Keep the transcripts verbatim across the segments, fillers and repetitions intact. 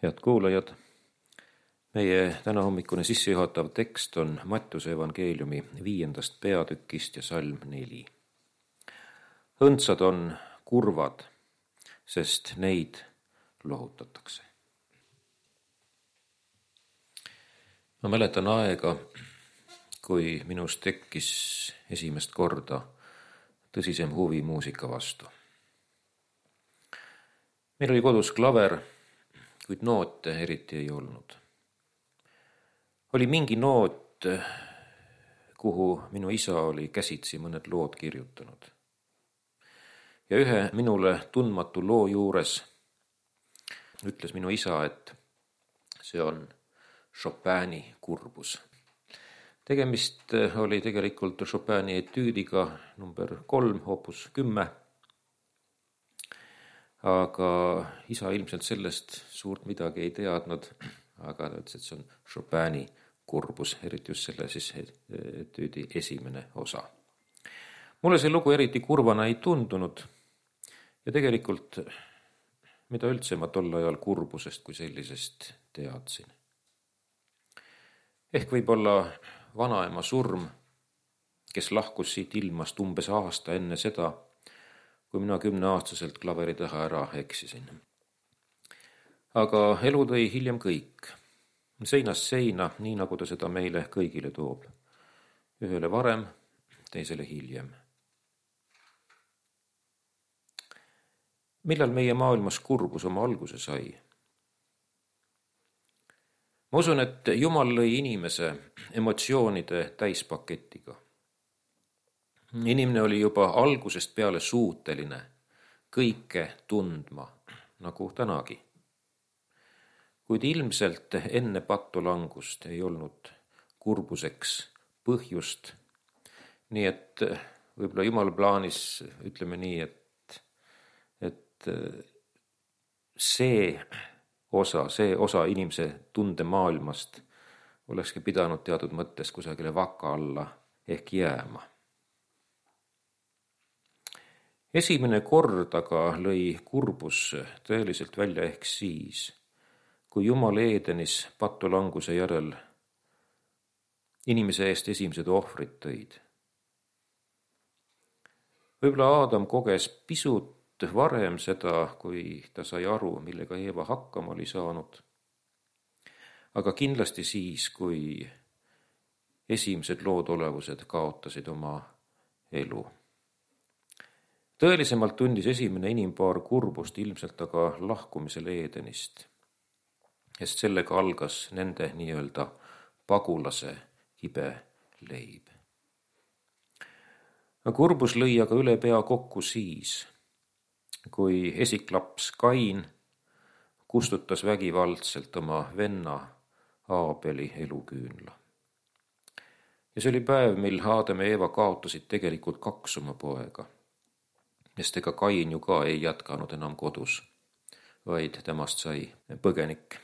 Head kuulajad, meie tänahommikune sissejuhatav tekst on Mattiuse evangeeliumi viiendast peatükist ja salm neli. Õndsad on kurvad, sest neid lohutatakse. Ma mäletan aega, kui minus tekkis esimest korda tõsisem huvi muusika vastu. Meil oli kodus klaver, kuid noote eriti ei olnud. Oli mingi noot, kuhu minu isa oli käsitsi mõned lood kirjutanud. Ja ühe minule tundmatu loo juures ütles minu isa, et see on Chopini kurbus. Tegemist oli tegelikult Chopini etüüdiga number kolm, opus kümme. Aga isa ilmselt sellest suurt midagi ei teadnud, aga ta ütles, et see on Chopini kurbus, eriti just selle siis etüüdi esimene osa. Mulle see lugu eriti kurvana ei tundunud ja tegelikult mida üldse ma tol ajal kurbusest kui sellisest teadsin. Ehk võib-olla vanaema surm, kes lahkus siit ilmast umbes aasta enne seda, kui mina kümneaastaselt klaveri taha ära eksisin. Aga elu tõi hiljem kõik. Seinast seina, nii nagu ta seda meile kõigile toob. Ühele varem, teisele hiljem. Millal meie maailmas kurbus oma alguse sai? Ma usun, et Jumal lõi inimese emotsioonide täispaketiga. Inimene oli juba algusest peale suuteline kõike tundma, nagu tänagi. Kuid ilmselt enne patulangust ei olnud kurbuseks põhjust, nii et võib-olla Jumal plaanis, ütleme nii, et, et see osa, see osa inimese tundemaailmast olekski pidanud teatud mõttes kusagile vaka alla ehk jääma. Esimene kord aga lõi kurbus tõeliselt välja ehk siis, kui Jumal Eedenis patulanguse järel inimese eest esimesed ohvrid tõid. Võib-olla Aadam koges pisut varem seda, kui ta sai aru, millega Eeva hakkama oli saanud. Aga kindlasti siis, kui esimesed loodolevused kaotasid oma elu. Tõelisemalt tundis esimene inimpaar kurbust ilmselt aga lahkumisel Eedenist, sest sellega algas nende nii-öelda pagulase ibe leib. Kurbus lõi aga üle pea kokku siis, kui esiklaps Kain kustutas vägivaldselt oma venna Aabeli eluküünla. Ja see oli päev, mil Aadam ja Eeva kaotasid tegelikult kaks oma poega. Sest ega Kain ju ka ei jätkanud enam kodus, vaid temast sai põgenik.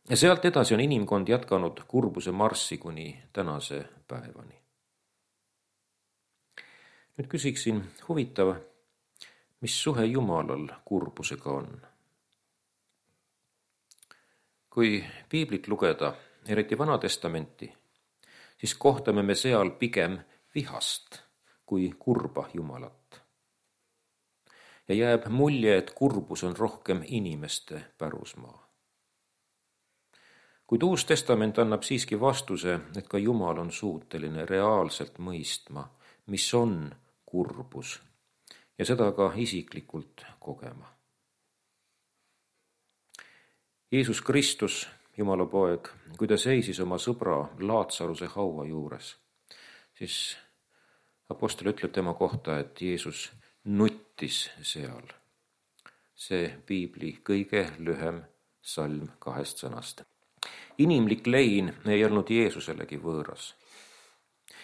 Ja sealt edasi on inimkond jätkanud kurbuse marssi kuni tänase päevani. Nüüd küsiksin, huvitav, mis suhe Jumalal kurbusega on? Kui piiblit lugeda, eriti Vana Testamenti, siis kohtame me seal pigem vihast kui kurba Jumalat. Ja jääb mulje, et kurbus on rohkem inimeste pärusmaa. Kuid Uus Testament annab siiski vastuse, et ka Jumal on suuteline reaalselt mõistma, mis on kurbus, ja seda ka isiklikult kogema. Jeesus Kristus, Jumala poeg, kui ta seisis oma sõbra Laatsaruse haua juures, siis apostel ütleb tema kohta, et Jeesus nuttis seal. See piibli kõige lühem salm kahest sõnast. Inimlik lein ei olnud Jeesuselegi võõras.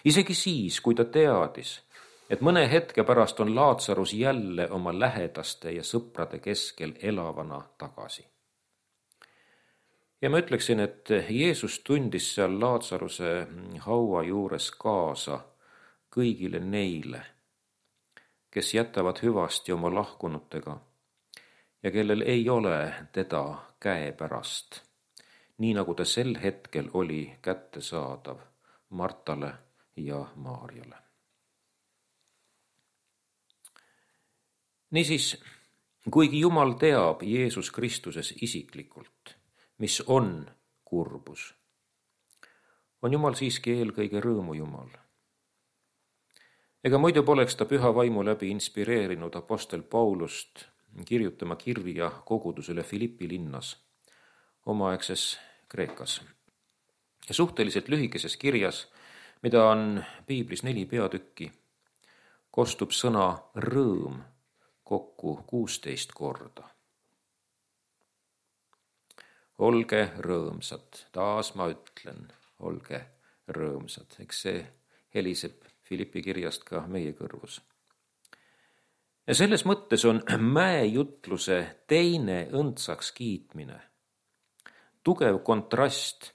Isegi siis, kui ta teadis, et mõne hetke pärast on Laatsarus jälle oma lähedaste ja sõprade keskel elavana tagasi. Ja ma ütleksin, et Jeesus tundis seal Laatsaruse haua juures kaasa kõigile neile, kes jätavad hüvasti oma lahkunutega ja kellel ei ole teda käepärast, nii nagu ta sel hetkel oli kättesaadav Martale ja Maarjale. Niisiis, kuigi Jumal teab Jeesus Kristuses isiklikult, mis on kurbus, on Jumal siiski eelkõige rõõmujumal. Ega muidu poleks ta püha vaimu läbi inspireerinud apostel Paulust kirjutama kirja kogudusele Philippi linnas, omaaegses Kreekas. Ja suhteliselt lühikeses kirjas, mida on piiblis neli peatükki, kostub sõna rõõm kokku kuusteist korda. Olge rõõmsad, taas ma ütlen, olge rõõmsad. Eks see heliseb Philippi kirjast ka meie kõrvus. Ja selles mõttes on mäejutluse teine õndsaks kiitmine tugev kontrast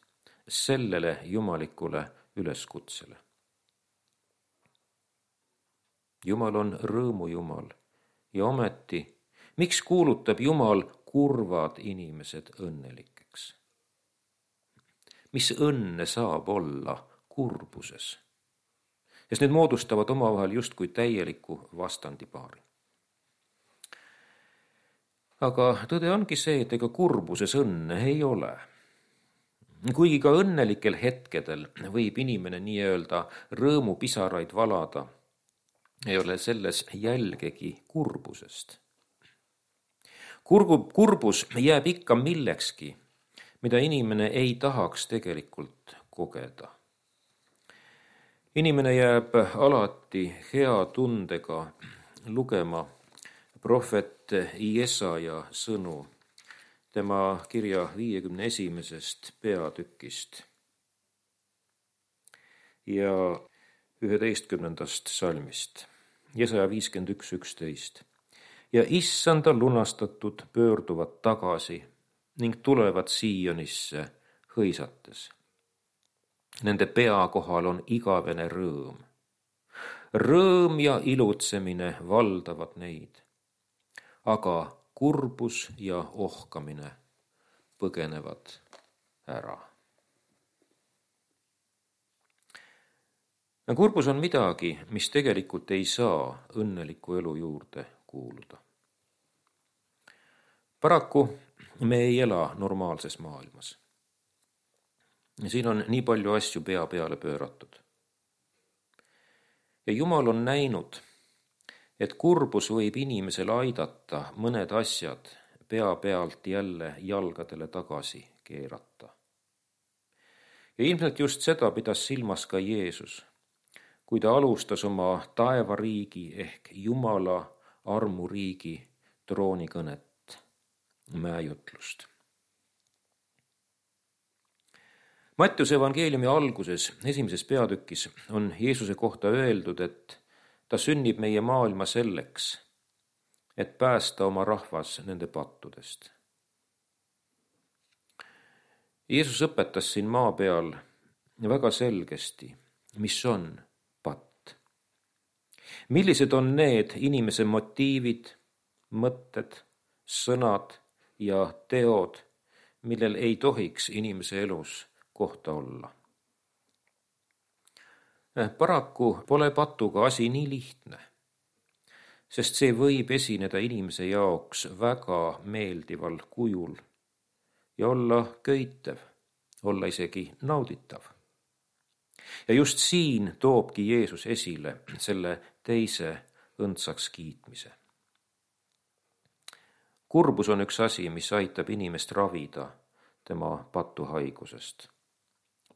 sellele jumalikule üleskutsele. Jumal on rõõmujumal ja ometi, miks kuulutab Jumal kurvad inimesed õnnelikeks? Mis õnne saab olla kurbuses? Sest need moodustavad omavahel justkui täieliku vastandipaari. Aga tõde ongi see, et ega kurbuses õnne ei ole. Kuigi ka õnnelikel hetkedel võib inimene nii-öelda rõõmupisaraid valada, ei ole selles jälgegi kurbusest. Kurgu, kurbus jääb ikka millekski, mida inimene ei tahaks tegelikult kogeda. Inimene jääb alati hea tundega lugema prohvet Jesaja sõnu tema kirja viiekümne esimesest peatükist ja üheteistkümnendast salmist. Jesaja viiskümmend üks üksteist. Ja issanda lunastatud pöörduvad tagasi ning tulevad Siionisse hõisates. Nende pea kohal on igavene rõõm. Rõõm ja ilutsemine valdavad neid, aga kurbus ja ohkamine põgenevad ära. Kurbus on midagi, mis tegelikult ei saa õnneliku elu juurde kuuluda. Paraku me ei ela normaalses maailmas. Siin on nii palju asju pea peale pööratud. Ja Jumal on näinud, et kurbus võib inimesel aidata mõned asjad pea pealt jälle jalgadele tagasi keerata. Ja ilmselt just seda pidas silmas ka Jeesus, kui ta alustas oma taevariigi ehk Jumala armuriigi troonikõnet, mäejutlust. Mattiuse evangeeliumi alguses, esimeses peatükis, on Jeesuse kohta öeldud, et ta sünnib meie maailma selleks, et päästa oma rahvas nende pattudest. Jeesus õpetas siin maa peal väga selgesti, mis on patt. Millised on need inimese motiivid, mõtted, sõnad ja teod, millel ei tohiks inimese elus kohta olla. Paraku pole patuga asi nii lihtne, sest see võib esineda inimese jaoks väga meeldival kujul ja olla köitev, olla isegi nauditav. Ja just siin toobki Jeesus esile selle teise õndsaks kiitmise. Kurbus on üks asi, mis aitab inimest ravida tema patuhaigusest,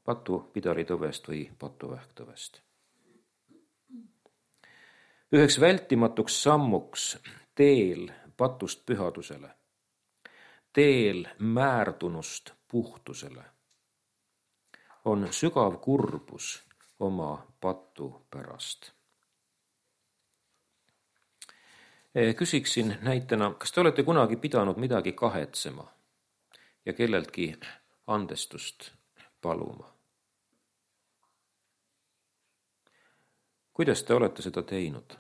patupidaritõvest või patuvähktõvest. Üheks vältimatuks sammuks teel patust pühadusele, teel määrtunust puhtusele on sügav kurbus oma patu pärast. Küsiksin näitena, kas te olete kunagi pidanud midagi kahetsema ja kelleltki andestust paluma? Kuidas te olete seda teinud?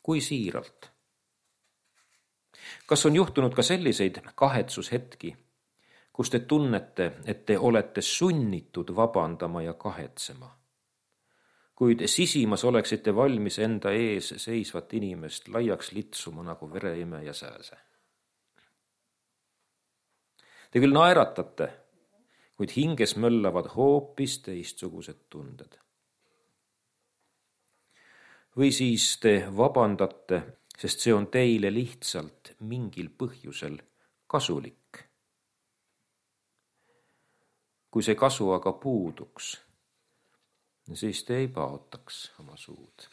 Kui siiralt? Kas on juhtunud ka selliseid kahetsushetki, kus te tunnete, et te olete sunnitud vabandama ja kahetsema, kuid sisimas oleksite valmis enda ees seisvat inimest laiaks litsuma nagu vereimeja sääse? Te küll naeratate, kuid hinges möllavad hoopis teistsugused tunded. Või siis te vabandate, sest see on teile lihtsalt mingil põhjusel kasulik. Kui see kasu aga puuduks, siis te ei paotaks oma suud.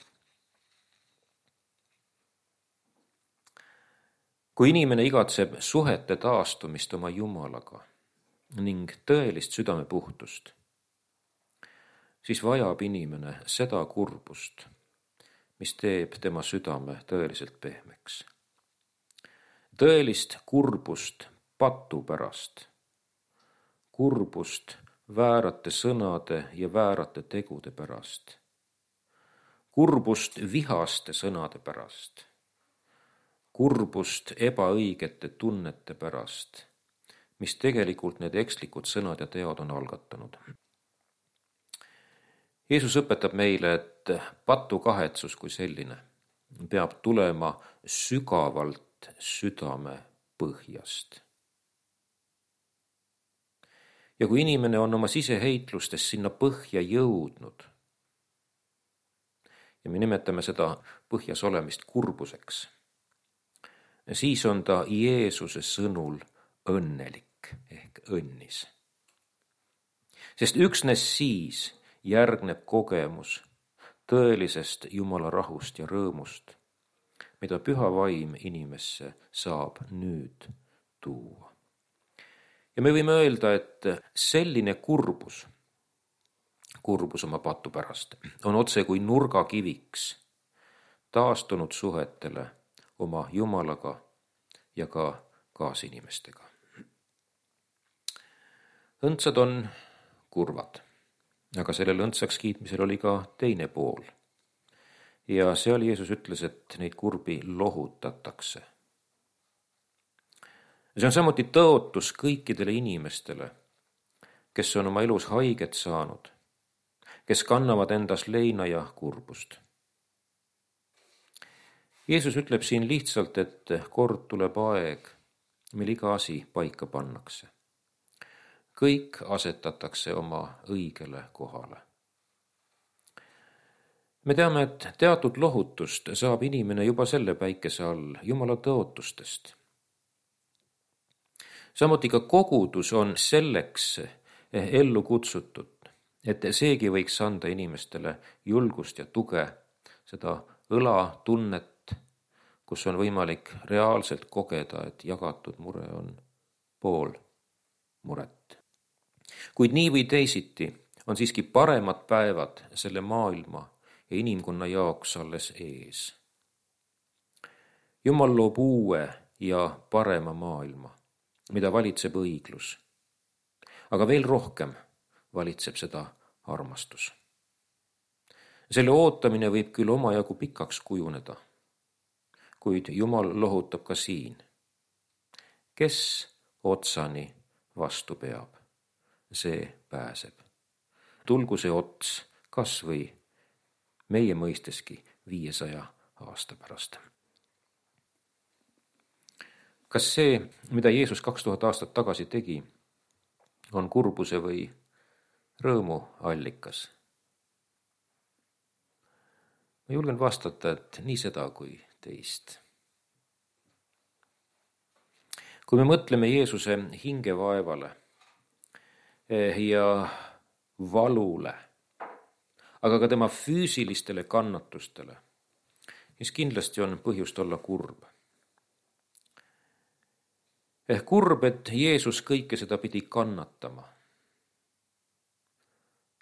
Kui inimene igatseb suhete taastumist oma Jumalaga ning tõelist südamepuhtust, siis vajab inimene seda kurbust, mis teeb tema südame tõeliselt pehmeks. Tõelist kurbust patu pärast, kurbust väärate sõnade ja väärate tegude pärast, kurbust vihaste sõnade pärast, kurbust ebaõigete tunnete pärast, mis tegelikult need ekslikud sõnad ja teod on algatanud. Jeesus õpetab meile, et patukahetsus kui selline peab tulema sügavalt südame põhjast. Ja kui inimene on oma siseheitlustes sinna põhja jõudnud, ja me nimetame seda põhjas olemist kurbuseks, siis on ta Jeesuse sõnul õnnelik ehk õnnis. Sest üksnes siis järgneb kogemus tõelisest Jumala rahust ja rõõmust, mida püha vaim inimesse saab nüüd tuua. Ja me võime öelda, et selline kurbus, kurbus oma patu pärast, on otse kui nurgakiviks taastunud suhetele oma Jumalaga ja ka kaasinimestega. Õndsad on kurvad, aga sellel õndsaks kiitmisel oli ka teine pool. Ja seal Jeesus ütles, et neid kurbi lohutatakse. See on samuti tõotus kõikidele inimestele, kes on oma elus haiget saanud, kes kannavad endas leina ja kurbust. Jeesus ütleb siin lihtsalt, et kord tuleb aeg, mil iga asi paika pannakse. Kõik asetatakse oma õigele kohale. Me teame, et teatud lohutust saab inimene juba selle päikese all Jumala tõotustest. Samuti ka kogudus on selleks ellu kutsutud, et seegi võiks anda inimestele julgust ja tuge, seda õlatunnet, kus on võimalik reaalselt kogeda, et jagatud mure on pool muret. Kuid nii või teisiti on siiski paremad päevad selle maailma ja inimkonna jaoks alles ees. Jumal loob uue ja parema maailma, mida valitseb õiglus, aga veel rohkem valitseb seda armastus. Selle ootamine võib küll omajagu pikaks kujuneda, kuid Jumal lohutab ka siin. Kes otsani vastu peab, see pääseb. Tulgu see ots kas või meie mõisteski viiesaja aasta pärast. Kas see, mida Jeesus kaks tuhat aastat tagasi tegi, on kurbuse või rõõmu allikas? Ma julgen vastata, et nii seda kui teist. Kui me mõtleme Jeesuse hingevaevale ja valule, aga ka tema füüsilistele kannatustele, siis kindlasti on põhjust olla kurb. Ehk kurb, et Jeesus kõike seda pidi kannatama.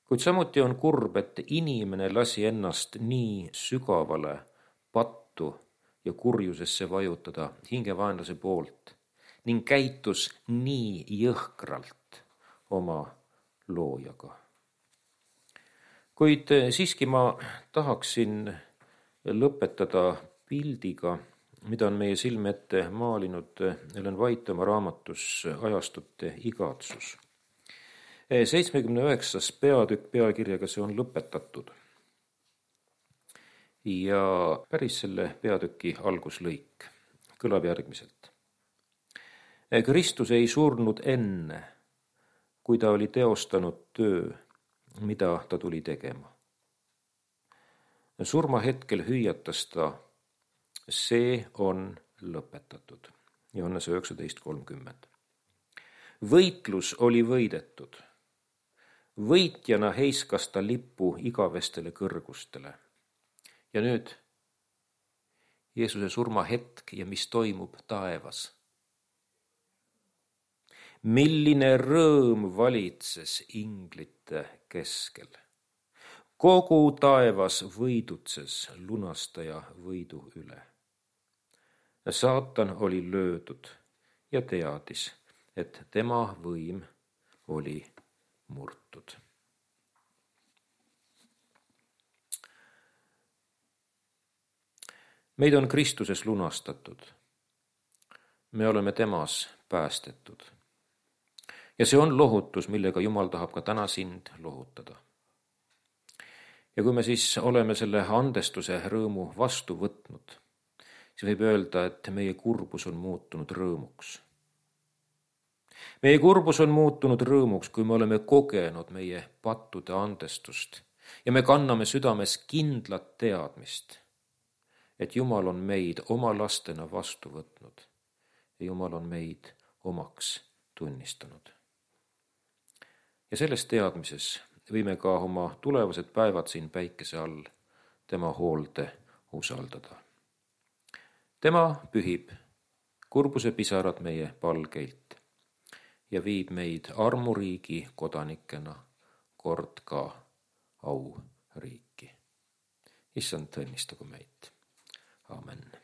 Kuid samuti on kurb, et inimene lasi ennast nii sügavale pattu ja kurjusesse vajutada hingevaenlase poolt ning käitus nii jõhkralt oma loojaga. Kuid siiski ma tahaksin lõpetada pildiga, mida on meie silme ette maalinud Ellen White oma raamatus Ajastute igatsus. seitsmekümne üheksas peatükk pealkirjaga See on lõpetatud. Ja päris selle peatüki alguslõik kõlab järgmiselt. Kristus ei surnud enne, kui ta oli teostanud töö, mida ta tuli tegema. Surma hetkel hüüatas ta, see on lõpetatud. Johannese üheksateist kolmkümmend. Võitlus oli võidetud. Võitjana heiskas ta lipu igavestele kõrgustele. Ja nüüd Jeesuse surma hetk ja mis toimub taevas. Milline rõõm valitses inglite keskel. Kogu taevas võidutses lunastaja võidu üle. Saatan oli löödud ja teadis, et tema võim oli murtud. Meid on Kristuses lunastatud. Me oleme temas päästetud. Ja see on lohutus, millega Jumal tahab ka täna sind lohutada. Ja kui me siis oleme selle andestuse rõõmu vastu võtnud, siis võib öelda, et meie kurbus on muutunud rõõmuks. Meie kurbus on muutunud rõõmuks, kui me oleme kogenud meie pattude andestust ja me kanname südames kindlat teadmist, et Jumal on meid oma lastena vastu võtnud ja Jumal on meid omaks tunnistanud. Ja selles teadmises võime ka oma tulevased päevad siin päikese all tema hoolde usaldada. Tema pühib kurbuse pisarad meie palgeilt ja viib meid armuriigi kodanikena kord ka auriiki. Issand, õnnistagu meid. Amen.